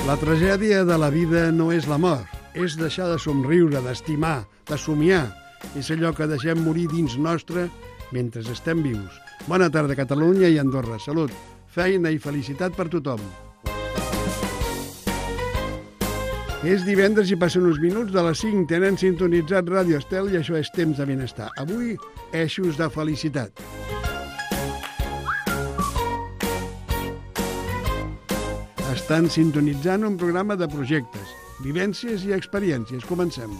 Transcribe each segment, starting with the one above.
La tragèdia de la vida no és la mort, és deixar de somriure, d'estimar, de somiar. És allò que deixem morir dins nostre mentre estem vius. Bona tarda, Catalunya i Andorra. Salut, feina i felicitat per tothom. És divendres i passen uns minuts de les 5. Tenen sintonitzat Ràdio Estel i això és Temps de Benestar. Avui, eixos de felicitat. Estan sintonitzant un programa de projectes, vivències i experiències. Comencem.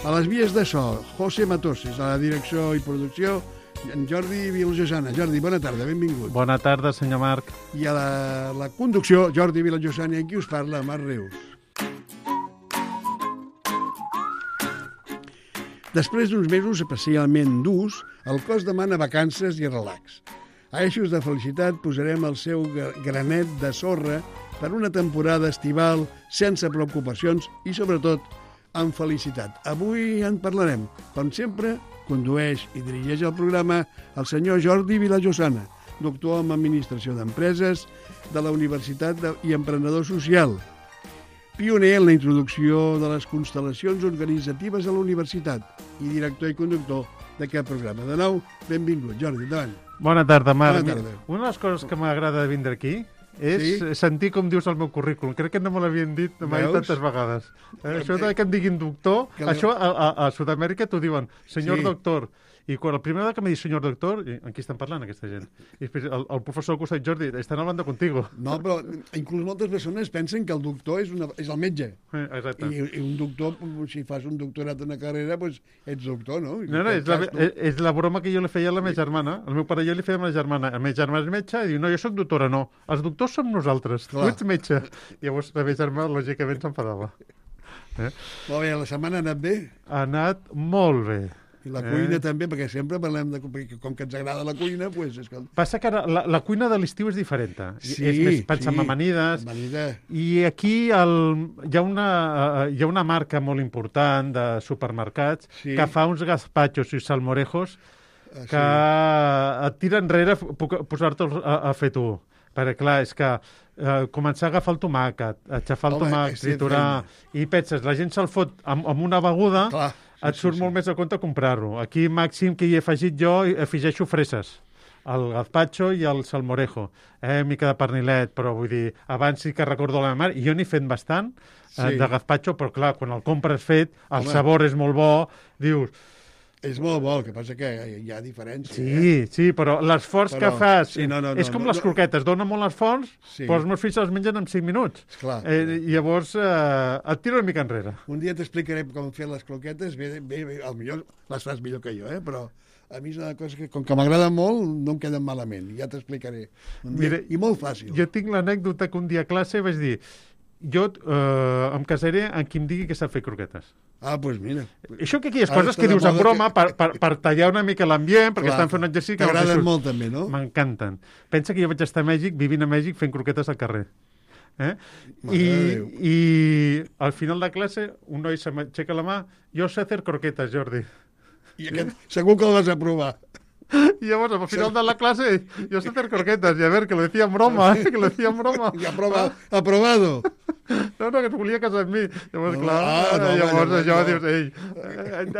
A les vies de so, José Matoses, a la direcció i producció, en Jordi Vilajosana. Jordi, bona tarda, benvingut. Bona tarda, senyor Marc. I a la conducció, Jordi Vilajosana, i qui us parla, Marc Reus. Després d'uns mesos especialment durs, el cos demana vacances i relax. A Eixos de Felicitat posarem el seu granet de sorra per una temporada estival sense preocupacions i, sobretot, amb felicitat. Avui en parlarem. Com sempre, condueix i dirigeix el programa el senyor Jordi Vilajosana, doctor en Administració d'Empreses de la Universitat i emprenedor social, pioner en la introducció de les constel·lacions organitzatives a la universitat i director i conductor d'aquest programa. De nou, benvingut, Jordi, endavant. Bona tarda, Marc. Bona tarda. Una de les coses que m'agrada de vindre aquí és sentir com dius el meu currículum. Crec que no me l'havien dit mai tantes vegades. Això que em diguin doctor, això a Sud-amèrica t'ho diuen, senyor doctor. I quan el primer que me diu senyor doctor, en qui estan parlant aquesta gent? I després el professor al costat, Jordi, estan hablando contigo. No, però inclús moltes persones pensen que el doctor és el metge. Exacte. I un doctor, si fas un doctorat en una carrera, doncs ets doctor, no? No, és la broma que jo li feia a la meva germana. El meu pare i jo li fèiem a la germana. La meva germana és metge i diu, no, jo soc doctora, no. Els doctors som nosaltres, tu ets metge. Llavors la meva germana, lògicament, s'enfadava. Molt bé, la setmana ha anat bé? Ha anat molt bé. I la cuina també, perquè sempre parlem de... Com que ens agrada la cuina, doncs... Passa que la cuina de l'estiu és diferent. És més, pensem en amanides. I aquí hi ha una marca molt important de supermercats que fa uns gazpachos i salmorejos que et tira enrere posar-te'ls a fer tu. Perquè, clar, és que començar a agafar el tomàquet, aixafar el tomàquet, triturar, i penses, la gent se'l fot amb una beguda, et surt molt més a compte comprar-ho. Aquí, màxim, que hi he afegit jo, afegeixo freses, el gazpacho i el salmorejo, mica de pernilet, però vull dir, abans sí que recordo la meva mare, i jo n'he fet bastant de gazpacho, però clar, quan el compres fet, el sabor és molt bo, dius... És molt bo, el que passa que hi ha diferència. Sí, però l'esforç que fas és com les croquetes, dona molt esforç, però els meus fills els mengen en 5 minuts. Llavors et tiro una mica enrere. Un dia t'explicaré com fer les croquetes, potser les fas millor que jo, però a mi és una cosa que, com que m'agrada molt, no em queden malament, ja t'explicaré. I molt fàcil. Jo tinc l'anècdota que un dia a classe vaig dir, jo em casaré amb qui em digui que sap fer croquetes. Doncs mira. Això que aquí és coses que dius en broma per tallar una mica l'ambient, perquè estan fent un exercici... T'agraden molt també, no? M'encanten. Pensa que jo vaig estar a Mèxic, vivint a Mèxic, fent croquetes al carrer. I al final de classe un noi s'aixeca la mà, jo sé fer croquetes, Jordi. I aquest segur que el vas aprovar. Y llavors, al final de la clase, yo sé hacer croquetas, y a ver, que lo decía en broma, que lo decía en broma. I aprobado. No, que es volia casar amb mi. Llavors, llavors això dius,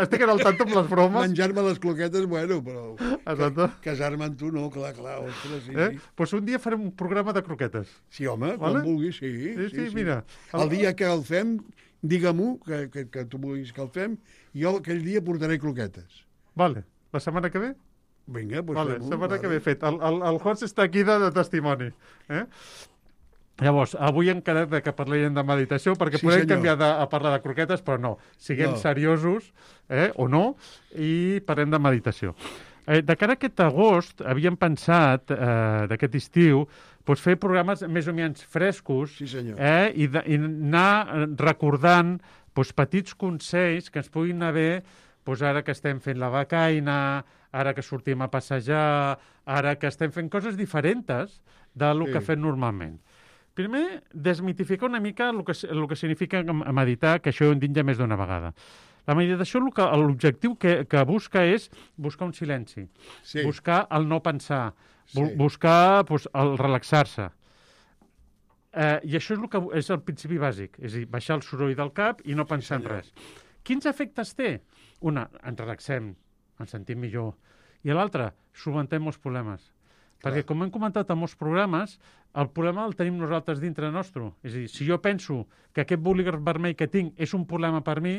estic al tanto amb les bromes. Menjar-me les croquetes, bueno, però casar-me amb tu, no, clar, ostres, sí. Doncs un dia farem un programa de croquetes. Sí, home, quan vulguis, sí. Mira. El dia que el fem, digue-m'ho, que tu vulguis que el fem, jo aquell dia portaré croquetes. Vale. La setmana que ve? Vinga, doncs fem-ho. Setmana que ve fet. El Horst està aquí de testimoni. Llavors, avui hem quedat que parlarem de meditació, perquè podem canviar a parlar de croquetes, però no. Siguem seriosos, o no, i parlem de meditació. De cara a aquest agost, havíem pensat, d'aquest estiu, fer programes més o menys frescos i anar recordant petits consells que ens puguin haver, ara que estem fent la becaina, ara que sortim a passejar, ara que estem fent coses diferents del que fem normalment. Primer, desmitificar una mica el que significa meditar, que això ho hem dit ja més d'una vegada. La meditació, l'objectiu que busca és buscar un silenci, buscar el no pensar, buscar el relaxar-se. I això és el principi bàsic, és a dir, baixar el soroll del cap i no pensar en res. Quins efectes té? Una, ens relaxem, ens sentim millor. I l'altra, solucionem molts problemes. Perquè, com hem comentat en molts programes, el problema el tenim nosaltres dintre nostre. És a dir, si jo penso que aquest bolígraf vermell que tinc és un problema per mi,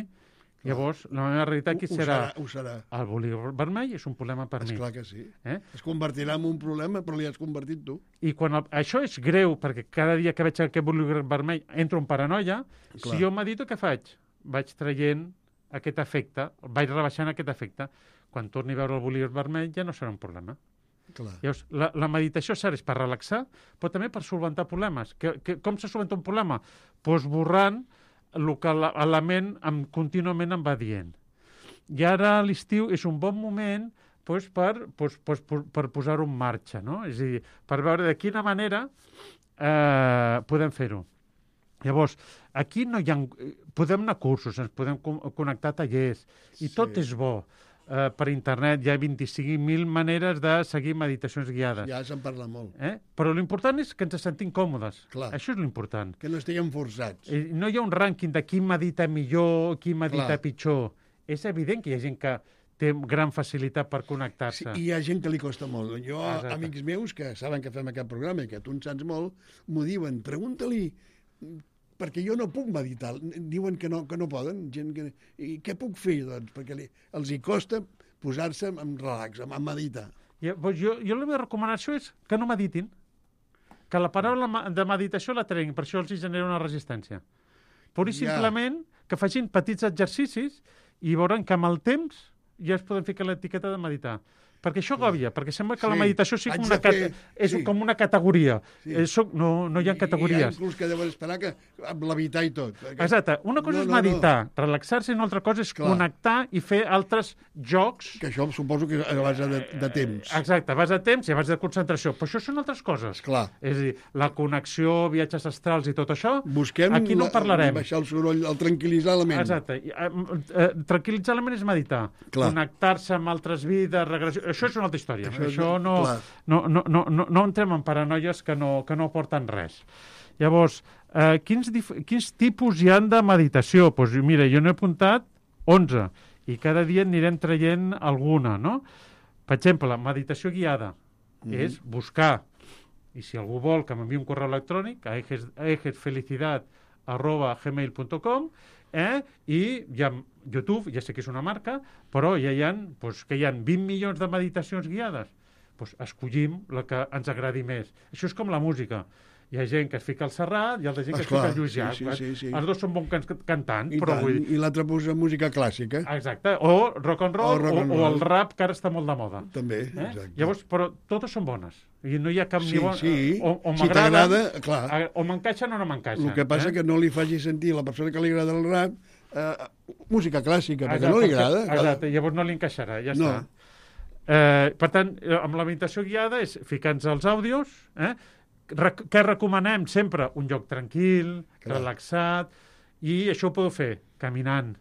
llavors la meva realitat aquí serà. Ho serà. El bolígraf vermell és un problema per mi. Esclar que sí. Es convertirà en un problema, però li has convertit tu. I quan això és greu, perquè cada dia que veig aquest bolígraf vermell entro en paranoia, si jo medito, què faig? Vaig traient aquest efecte, vaig rebaixant aquest efecte. Quan torni a veure el bolígraf vermell ja no serà un problema. Llavors, la meditació serveix per relaxar, però també per solventar problemes. Com se solventa un problema? Doncs borrant el que la ment contínuament em va dient. I ara a l'estiu és un bon moment per posar-ho en marxa, no? És a dir, per veure de quina manera podem fer-ho. Llavors, aquí no hi ha... Podem anar a cursos, ens podem connectar a tallers, i tot és bo. Per internet hi ha 25.000 maneres de seguir meditacions guiades. Ja se'n parla molt. Però l'important és que ens sentim còmodes. Clar. Això és l'important. Que no estiguem forçats. No hi ha un rànquing de qui medita millor, qui medita pitjor. És evident que hi ha gent que té gran facilitat per connectar-se. Sí, i hi ha gent que li costa molt. Jo, amics meus, que saben que fem aquest programa i que tu en saps molt, m'ho diuen, pregunta-li, perquè jo no puc meditar. Diuen que no poden. I què puc fer, doncs? Perquè els hi costa posar-se en relax, a meditar. Jo la meva recomanació és que no meditin. Que la paraula de meditació la treguin, per això els genera una resistència. Pur i simplement que facin petits exercicis i veuran que amb el temps ja es poden ficar l'etiqueta de meditar. Perquè això agòbia, perquè sembla que la meditació és com una categoria. No hi ha categories. Hi ha inclús que deuen esperar que amb l'habitar i tot. Exacte. Una cosa és meditar, relaxar-se, i una altra cosa és connectar i fer altres jocs. Que això suposo que és a base de temps. Exacte, a base de temps i a base de concentració. Però això són altres coses. Clar. És a dir, la connexió, viatges astrals i tot això, busquem aquí no parlarem. Baixar el soroll, el tranquil·litzar la ment. Exacte. Tranquil·litzar la ment és meditar. Connectar-se amb altres vides, regressió. Això és una altra història. Això no entrem en paranoies que no porten res. Llavors, quins tipus hi han de meditació? Doncs mira, jo n'he apuntat 11 i cada dia anirem traient alguna, no? Per exemple, meditació guiada és buscar, i si algú vol que m'enviï un correu electrònic a ejesfelicidad@gmail.com, i hi ha YouTube, ja sé que és una marca, però ja hi ha 20 milions de meditacions guiades. Doncs escollim la que ens agradi més. Això és com la música. Hi ha gent que es fica al Serrat i altra gent que es fica al Lluís Llach. Sí. Els dos són bons cantants. I l'altre posa música clàssica. Exacte. O rock and roll o el rap, que ara està molt de moda. També, exacte. Llavors, però totes són bones. I no hi ha cap ni bona... O m'agrada, clar. O m'encaixen o no m'encaixen. El que passa que no li faci sentir a la persona que li agrada el rap música clàssica, perquè no li agrada. Exacte, llavors no li encaixarà, ja està. Per tant, amb la meditació guiada és ficar-nos els àudios, què recomanem? Sempre un lloc tranquil, relaxat, i això ho podeu fer caminant.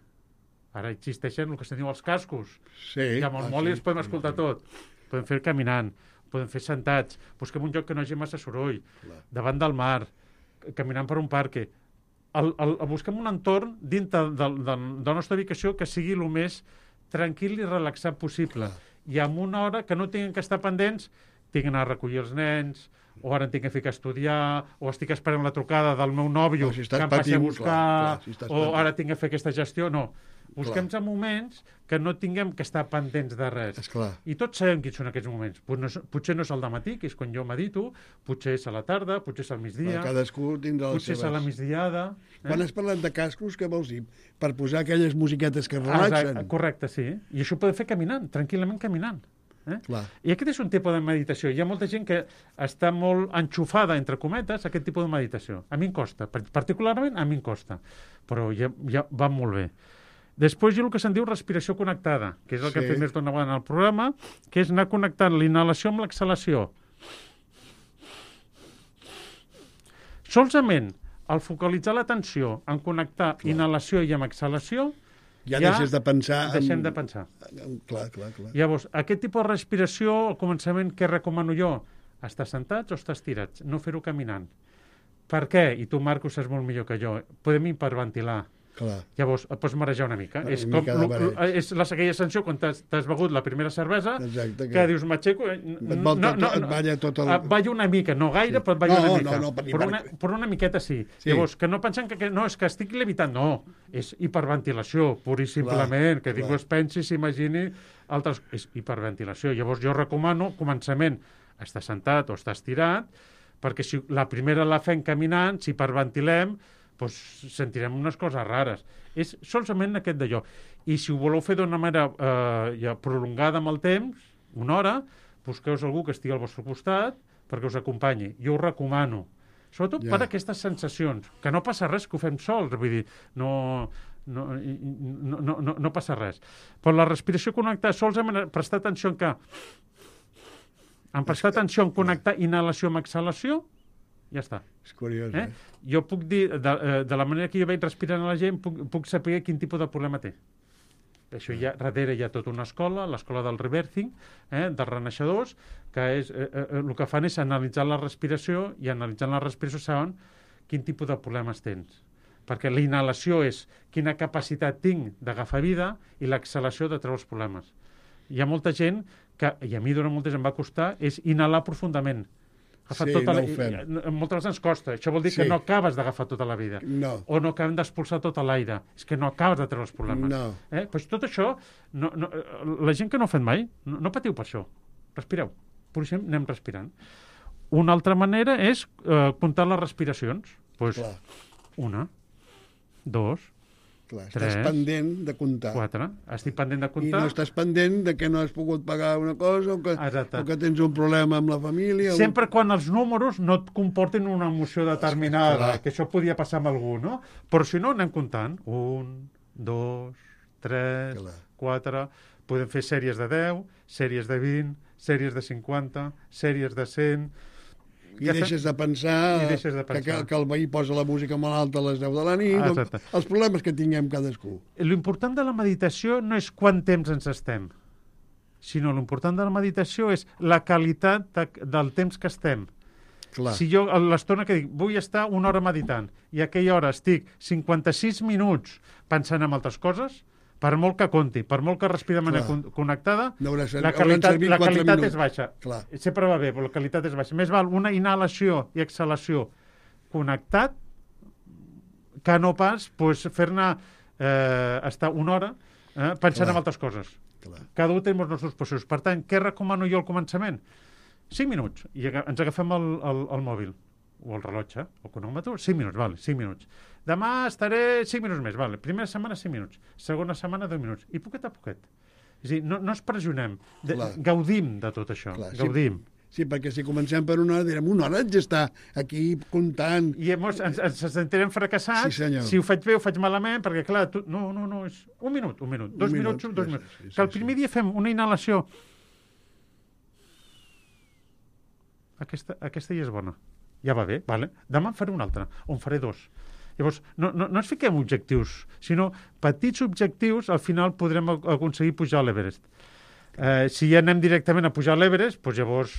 Ara existeixen el que se'n diu els cascos. I amb el mòbil els podem escoltar tot. Podem fer caminant, podem fer sentats, busquem un lloc que no hagi massa soroll, davant del mar, caminant per un parc. Busquem un entorn dintre de la nostra ubicació que sigui el més tranquil i relaxat possible. I amb una hora que no tinguin que estar pendents, tinc d'anar a recollir els nens, o ara em tinc que ficar a estudiar, o estic esperant la trucada del meu nòvio que em passi a buscar, o ara tinc que fer aquesta gestió. No, busquem moments que no tinguem que estar pendents de res. I tots sabem quins són aquests moments. Potser no és al dematí, que és quan jo medito, potser és a la tarda, potser és al migdia, cadascú tindrà les seves. Potser és a la migdiada. Quan has parlat de cascos, què vols dir? Per posar aquelles musiquetes que relaxen. Correcte, sí. I això ho podem fer caminant, tranquil·lament caminant. I aquest és un tipus de meditació. Hi ha molta gent que està molt enxufada, entre cometes, a aquest tipus de meditació. A mi em costa, particularment a mi em costa, però ja va molt bé. Després hi ha el que se'n diu respiració connectada, que és el que hem fet més d'una vegada en el programa, que és anar connectant l'inhalació amb l'exhalació. Solament al focalitzar l'atenció en connectar inhalació i amb exhalació, ja deixes de pensar... Deixem de pensar. Clar. Llavors, aquest tipus de respiració, al començament, què recomano jo? Estar sentats o estar estirats, no fer-ho caminant. Per què? I tu, Marc, ho saps molt millor que jo. Podem hiperventilar. Clar. Llavors, et pots marejar una mica. És aquella sensació quan t'has begut la primera cervesa, que dius, m'aixeco... Et balla tota la... Et balla una mica, no gaire, però et balla una mica. Però una miqueta sí. Llavors, que no pensen que no, és que estic levitant. No, és hiperventilació, pur i simplement, que ningú es pensi, s'imagini altres... És hiperventilació. Llavors, jo recomano, començament, estar sentat o estar estirat, perquè si la primera la fem caminant, si hiperventilem, doncs sentirem unes coses rares. És solament aquest d'allò. I si ho voleu fer d'una manera ja prolongada amb el temps, una hora, busqueu algú que estigui al vostre costat perquè us acompanyi. Jo ho recomano. Sobretot per aquestes sensacions, que no passa res que ho fem sols, vull dir, no passa res. Però la respiració connectada, sols hem de prestar atenció en connectar inhalació amb exhalació, ja està. És curiós, Jo puc dir, de la manera que jo veig respirant a la gent, puc saber quin tipus de problema té. Això darrere hi ha tota una escola, l'escola del Rebirthing, dels renaixedors, que el que fan és analitzar la respiració, i analitzant la respiració saben quin tipus de problemes tens. Perquè la inhalació és quina capacitat tinc d'agafar vida i l'exhalació de treure els problemes. Hi ha molta gent que, i a mi durant molt temps em va costar, és inhalar profundament. Moltes vegades ens costa. Això vol dir que no acabes d'agafar tota la vida. No. O no acabem d'expulsar tot l'aire. És que no acabes de treure els problemes. No. Pues tot això, la gent que no ho ha fet mai, no patiu per això. Respireu. Per això anem respirant. Una altra manera és comptar les respiracions. Pues, 1, 2, Clar, estàs pendent de comptar. 4. Estic pendent de comptar. I no estàs pendent de que no has pogut pagar una cosa o que tens un problema amb la família. Sempre quan els números no et comporten una emoció determinada, que això podia passar amb algú, no? Però si no, anem comptant. 1, 2, 3, 4... Podem fer sèries de 10, sèries de 20, sèries de 50, sèries de 100... I deixes de pensar que el veí posa la música molt alta a les 10 de la nit, els problemes que tinguem cadascú. L'important de la meditació no és quant temps ens estem, sinó l'important de la meditació és la qualitat del temps que estem. Clar. Si jo, l'estona que dic, vull estar una hora meditant, i a aquella hora estic 56 minuts pensant en altres coses, per molt que compti, per molt que respiri de manera connectada, la qualitat és baixa. Clar. Sempre va bé, però la qualitat és baixa. Més val una inhalació i exhalació connectat que no pas fer-ne estar una hora pensant en altres coses. Clar. Cada un té els nostres processos. Per tant, què recomano jo al començament? 5 minuts. I ens agafem el mòbil o el rellotge, o cronòmetre, 5 minuts, vale, 5 minuts. Demà estaré 5 minuts més, vale. Primera setmana 5 minuts, segona setmana 2 minuts, i poquet a poquet. És a dir, no ens pressionem, gaudim de tot això, gaudim. Sí, perquè si comencem per una hora, direm, una hora haig d'estar aquí comptant. I llavors ens sentirem fracassats, si ho faig bé o faig malament, perquè clar, no, és un minut, 2 minuts, 2 minuts. Que el primer dia fem una inhalació. Aquesta ja és bona. Ja va bé, vale. Demà en faré una altra, o en faré 2. Llavors, no ens fiquem objectius, sinó petits objectius, al final podrem aconseguir pujar a l'Everest. Si ja anem directament a pujar a l'Everest, doncs llavors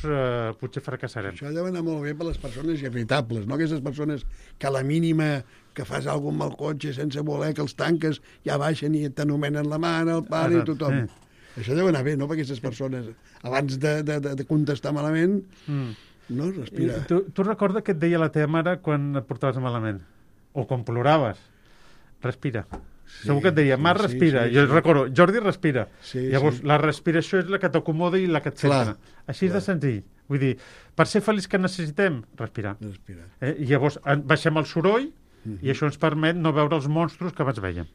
potser fracassarem. Això deu anar molt bé per les persones irritables, no? Aquestes persones que a la mínima que fas alguna cosa amb el cotxe sense voler que els tanques ja baixen i t'anomenen la mare, el pare i tothom. Això deu anar bé, no? Per aquestes persones, abans de contestar malament... No, respira. Tu recorda què et deia la teva mare quan et portaves malament? O quan ploraves? Respira. Segur que et deia, Marc, respira. Jo recordo, Jordi, respira. Llavors, la respiració és la que t'acomoda i la que et centra. Així de senzill. Vull dir, per ser feliç que necessitem? Respirar. I llavors baixem el soroll i això ens permet no veure els monstros que abans vèiem.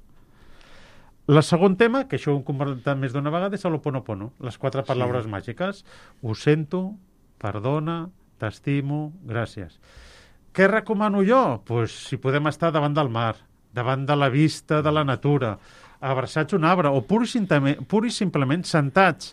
El segon tema, que això ho hem comentat més d'una vegada, és l'Ho'oponopono. Les 4 paraules màgiques. Ho sento, perdona, t'estimo, gràcies. Què recomano jo? Pues, si podem estar davant del mar, davant de la vista de la natura, abraçats a un arbre, o pur i simplement sentats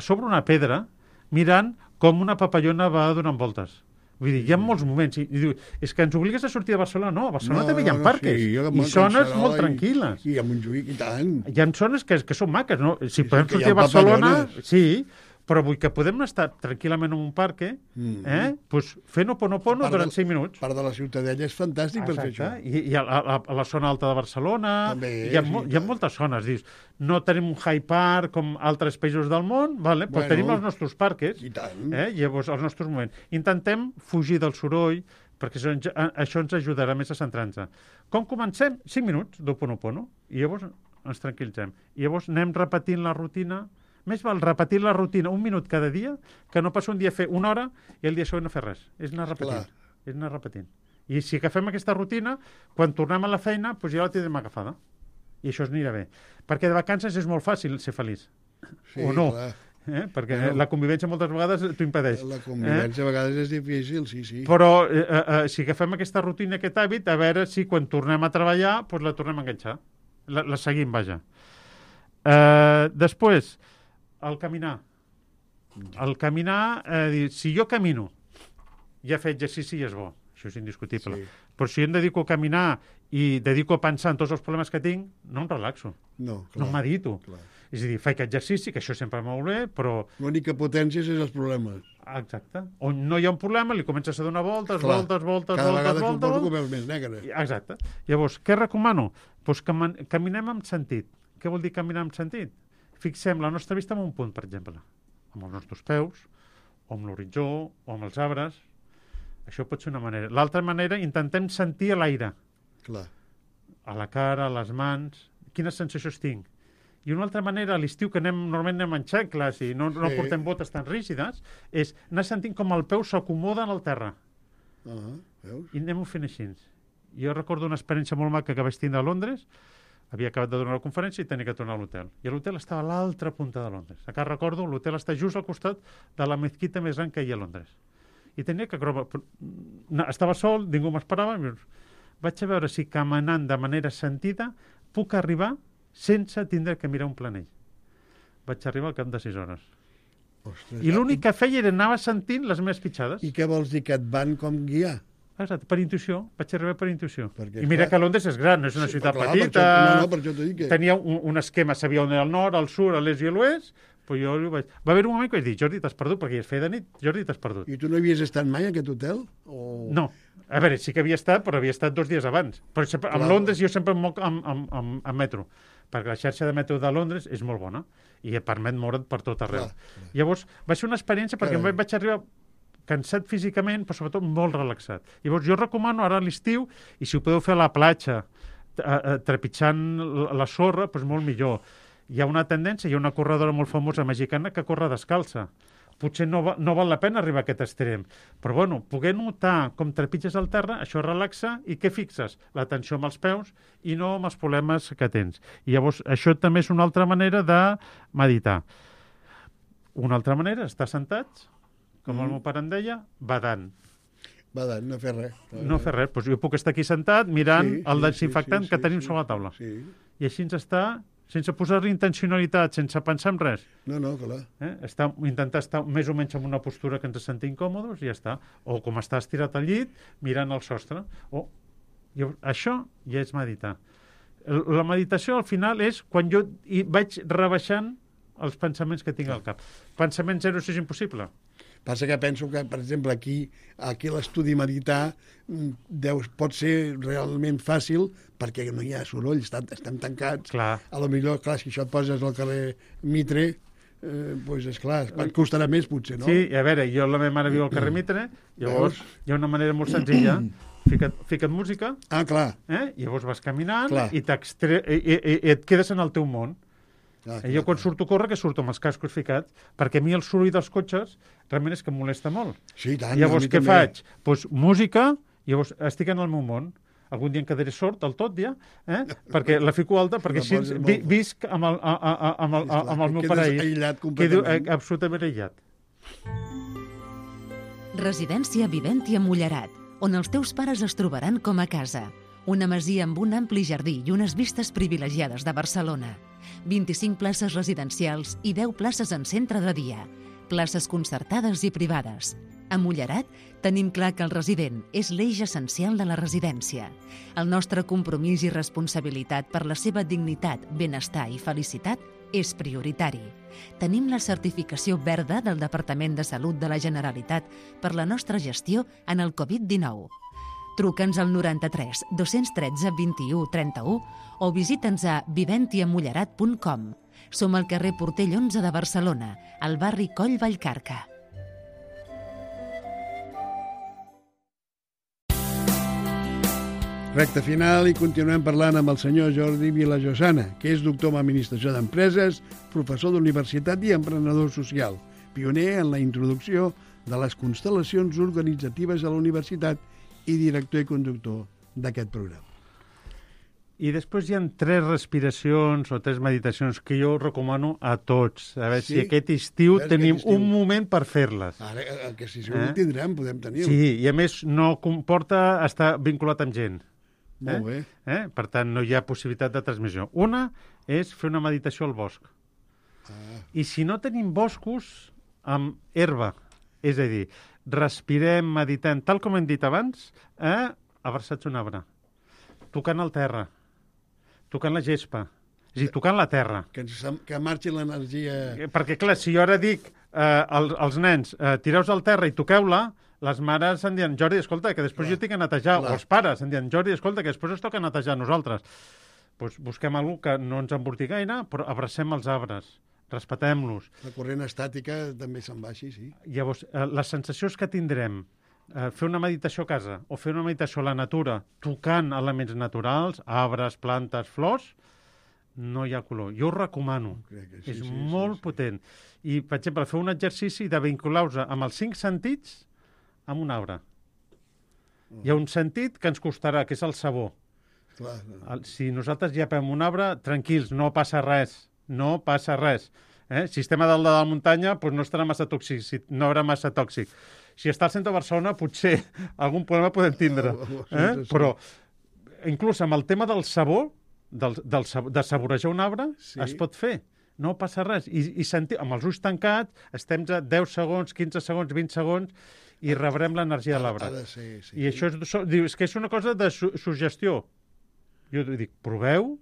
sobre una pedra, mirant com una papallona va donant voltes. Vull dir, hi ha molts moments. I diu, és que ens obligues a sortir de Barcelona. No, a Barcelona també hi ha parques. I zones molt tranquil·les. I a Montjuïc i tant. Hi ha zones que són maques, no? Si podem sortir a Barcelona... Sí, Però vull que podem estar tranquil·lament en un parc, doncs fent Ho'oponopono durant 5 minuts. Part de la Ciutadella és fantàstic per fer això. I a la zona alta de Barcelona, hi ha moltes zones. Dius, no tenim un Hyde Park com altres països del món, però tenim els nostres parcs, llavors els nostres moments. Intentem fugir del soroll, perquè això ens ajudarà més a centrar-nos. Com comencem? 5 minuts d'Ho'oponopono, i llavors ens tranquil·litzem. I llavors anem repetint la rutina. Més val repetir la rutina 1 minut cada dia que no passar un dia a fer 1 hora i el dia següent no fer res. És anar repetint. I si agafem aquesta rutina, quan tornem a la feina, doncs ja la tindrem agafada. I això ens anirà bé. Perquè de vacances és molt fàcil ser feliç. Sí, o no. Perquè la convivència moltes vegades t'ho impedeix. La convivència a vegades és difícil, sí. Però si agafem aquesta rutina, aquest hàbit, a veure si quan tornem a treballar doncs la tornem a enganxar. La seguim, vaja. Després, el caminar. El caminar, si jo camino, ja he fet exercici i és bo. Això és indiscutible. Sí. Però si em dedico a caminar i dedico a pensar en tots els problemes que tinc, no em relaxo. No medito. Clar. És a dir, faig exercici, que això sempre va molt bé, però... L'únic que potencies és els problemes. Exacte. On no hi ha un problema, li comences a donar voltes. Cada vegada que ho veus més negre. Exacte. Llavors, què recomano? Doncs caminem amb sentit. Què vol dir caminar amb sentit? Fixem la nostra vista en un punt, per exemple, amb els nostres peus, o amb l'horitzó, o amb els arbres. Això pot ser una manera. L'altra manera, intentem sentir l'aire. Clar. A la cara, a les mans. Quines sensacions tinc? I una altra manera, a l'estiu, que normalment anem en xancles i no portem botes tan rígides, és anar sentint com el peu s'acomoda en el terra. Veus? I anem-ho fent així. Jo recordo una experiència molt maca que vaig tindre a Londres. Havia acabat de donar la conferència i tenia que tornar a l'hotel. I l'hotel estava a l'altra punta de Londres. Encara recordo, l'hotel està just al costat de la mesquita més gran que hi ha a Londres. I tenia que... Estava sol, ningú m'esperava. Vaig a veure si caminant de manera sentida puc arribar sense tindre que mirar un planell. Vaig arribar al cap de 6 hores. Ostres, I l'únic que feia era anar sentint les meves pitjades. I què vols dir, que et van com guiar? Exacte, per intuïció. Vaig arribar per intuïció. I mira que Londres és gran, no és una ciutat petita. Per això t'ho dic que... Tenia un esquema, sabia on era el nord, el sud, l'est i l'oest. Però jo vaig... Va haver un moment que vaig dir, Jordi, t'has perdut, perquè ja es feia de nit. Jordi, t'has perdut. I tu no havies estat mai a aquest hotel? No. A veure, sí que havia estat, però havia estat 2 dies abans. Però a Londres jo sempre em moc amb metro, perquè la xarxa de metro de Londres és molt bona i et permet moure't per tot arreu. Llavors, va ser una experiència perquè em vaig arribar cansat físicament, però sobretot molt relaxat. Llavors, jo recomano ara a l'estiu, i si ho podeu fer a la platja, trepitjant la sorra, doncs molt millor. Hi ha una tendència, hi ha una corredora molt famosa mexicana que corre descalça. Potser no val la pena arribar a aquest extrem. Però, bueno, poder notar com trepitges el terra, això relaxa, i què fixes? L'atenció amb els peus i no amb els problemes que tens. I llavors, això també és una altra manera de meditar. Una altra manera, estar sentats, com el meu pare em deia, badant. Badant, no fer res. No fer res. Doncs jo puc estar aquí sentat mirant el desinfectant que tenim sobre la taula. I així ens està, sense posar-li intencionalitat, sense pensar en res. No, clar. Intentar estar més o menys en una postura que ens sentim còmodes i ja està. O com estar estirat al llit, mirant el sostre. Això ja és meditar. La meditació, al final, és quan jo vaig rebaixant els pensaments que tinc al cap. Pensament zero, això és impossible. Passa que penso que, per exemple, aquí a l'estudi meditar pot ser realment fàcil perquè no hi ha soroll, estem tancats. Clar. A lo millor, clar, si això et poses al carrer Mitre, doncs, esclar, et costarà més, potser, no? Sí, a veure, la meva mare viu al carrer Mitre, llavors hi ha una manera molt senzilla. Fica't música, llavors vas caminant i et quedes en el teu món. Jo quan surto a córrer, que surto amb els cascos ficats, perquè a mi el soroll dels cotxes realment és que em molesta molt. Sí, tant. Llavors, què faig? Doncs música, llavors estic en el meu món. Algun dia em quedaré sord del tot, ja, perquè la fico alta, perquè així visc amb el meu paraís. Quedo absolutament aïllat. Residència Viventia Mullerat, on els teus pares es trobaran com a casa. Una masia amb un ampli jardí i unes vistes privilegiades de Barcelona. 25 places residencials i 10 places en centre de dia. Places concertades i privades. A Mullerat tenim clar que el resident és l'eix essencial de la residència. El nostre compromís i responsabilitat per la seva dignitat, benestar i felicitat és prioritari. Tenim la certificació verda del Departament de Salut de la Generalitat per la nostra gestió en el Covid-19. Truca'ns al 93 213 21 31 o visita'ns a viventiamullerat.com. Som al carrer Portell 11 de Barcelona, al barri Coll Vallcarca. Recte final i continuem parlant amb el senyor Jordi Vilajosana, que és doctor en Administració d'Empreses, professor d'universitat i emprenedor social, pioner en la introducció de les constel·lacions organitzatives a la universitat i director i conductor d'aquest programa. I després hi ha 3 respiracions o 3 meditacions que jo recomano a tots. A veure si aquest estiu tenim un moment per fer-les. Ara, que si ho tindrem, podem tenir-ho. Sí, i a més no comporta estar vinculat amb gent. Molt bé. Per tant, no hi ha possibilitat de transmissió. Una és fer una meditació al bosc. I si no tenim boscos, amb herba. És a dir, respirem, meditem, tal com hem dit abans, abraçats un arbre, tocant el terra, tocant la gespa, és a dir, tocant la terra. Que marxi l'energia... Perquè, clar, si jo ara dic als nens, tireu-vos al terra i toqueu-la, les mares em diuen, Jordi, escolta, que després jo tinc que netejar. O els pares em diuen, Jordi, escolta, que després ens toca netejar a nosaltres. Doncs busquem alguna que no ens emborti gaire, però abracem els arbres, respetem-los. La corrent estàtica també se'n va així, sí. Llavors, les sensacions que tindrem, fer una meditació a casa o fer una meditació a la natura, tocant elements naturals, arbres, plantes, flors, no hi ha color. Jo ho recomano. És molt potent. I, per exemple, fer un exercici de vincular-vos amb els 5 sentits amb un arbre. Hi ha un sentit que ens costarà, que és el sabor. Si nosaltres llepem un arbre, tranquils, no passa res. No passa res. Si estem a dalt de la muntanya, doncs no estarà massa tòxic, no haurà massa tòxic. Si està al centre de Barcelona, potser algun problema podem tindre. Però, inclús amb el tema del sabor, de saborejar un arbre, es pot fer. No passa res. I sentir, amb els ulls tancats, estem a 10 segons, 15 segons, 20 segons, i rebrem l'energia de l'arbre. I això és que és una cosa de suggestió. Jo dic, proveu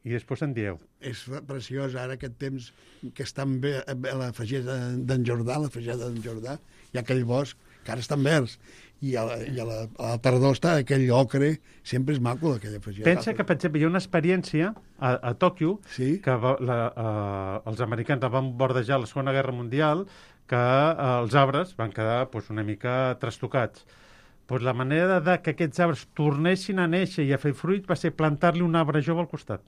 i després en dieu. És preciós ara aquest temps que estan bé a la fageda d'en Jordà, hi ha aquell bosc que ara estan verds, i a la tardor està aquell ocre, sempre és maco aquella fageda. Pensa que, per exemple, hi ha una experiència a Tòquio, que els americans la van bordejar a la Segona Guerra Mundial, que els arbres van quedar una mica trastocats. La manera que aquests arbres tornessin a néixer i a fer fruit va ser plantar-li un arbre jove al costat.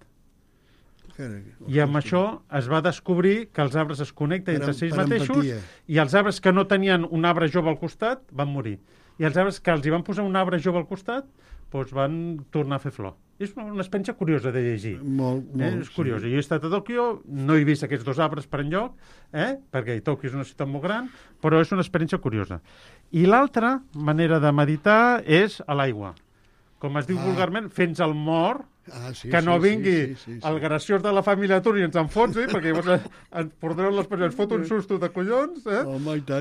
I amb això es va descobrir que els arbres es connecten entre ells mateixos i els arbres que no tenien un arbre jove al costat van morir. I els arbres que els hi van posar un arbre jove al costat van tornar a fer flor. És una experiència curiosa de llegir. És curiosa. Jo he estat a Tòquio, no he vist aquests 2 arbres per enlloc, perquè Tòquio és una ciutat molt gran, però és una experiència curiosa. I l'altra manera de meditar és a l'aigua. Com es diu vulgarment, fent el mort, que no vingui el graciós de la família Tur i ens enfonsi, perquè llavors ens portareu l'expressió, ens fot un susto de collons,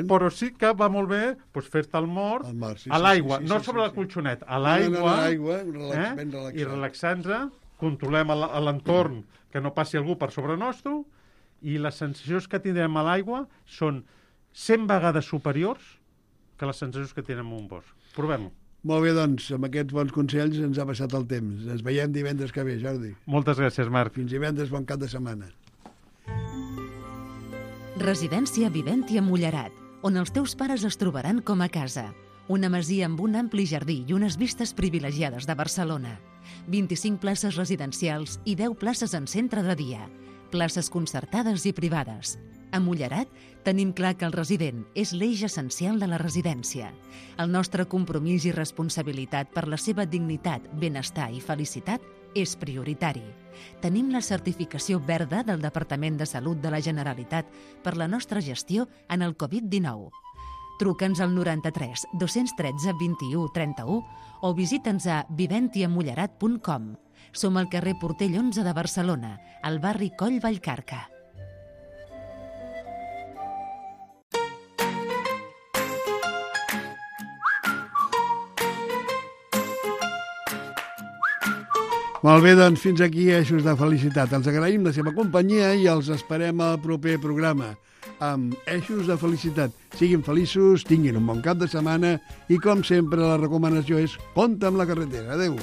però sí que va molt bé fer-te el mort a l'aigua, no sobre el colxonet, a l'aigua, i relaxant-nos, controlem l'entorn, que no passi algú per sobre nostre, i les sensacions que tindrem a l'aigua són 100 vegades superiors que les sensacions que tindrem en un bosc. Provem-ho. Molt bé, doncs, amb aquests bons consells ens ha passat el temps. Ens veiem divendres que ve, Jordi. Moltes gràcies, Marc. Fins divendres, bon cap de setmana. Residència Viventi a Mullerat, on els teus pares es trobaran com a casa. Una masia amb un ampli jardí i unes vistes privilegiades de Barcelona. 25 places residencials i 10 places en centre de dia. Places concertades i privades. A Mullerat tenim clar que el resident és l'eix essencial de la residència. El nostre compromís i responsabilitat per la seva dignitat, benestar i felicitat és prioritari. Tenim la certificació verda del Departament de Salut de la Generalitat per la nostra gestió en el Covid-19. Truca'ns al 93 213 21 31 o visita'ns a viventiamullerat.com. Som al carrer Portell 11 de Barcelona, al barri Coll Vallcarca. Molt bé, doncs fins aquí Eixos de Felicitat. Els agraïm la seva companyia i els esperem al proper programa amb Eixos de Felicitat. Siguin feliços, tinguin un bon cap de setmana i, com sempre, la recomanació és compte amb la carretera. Adéu.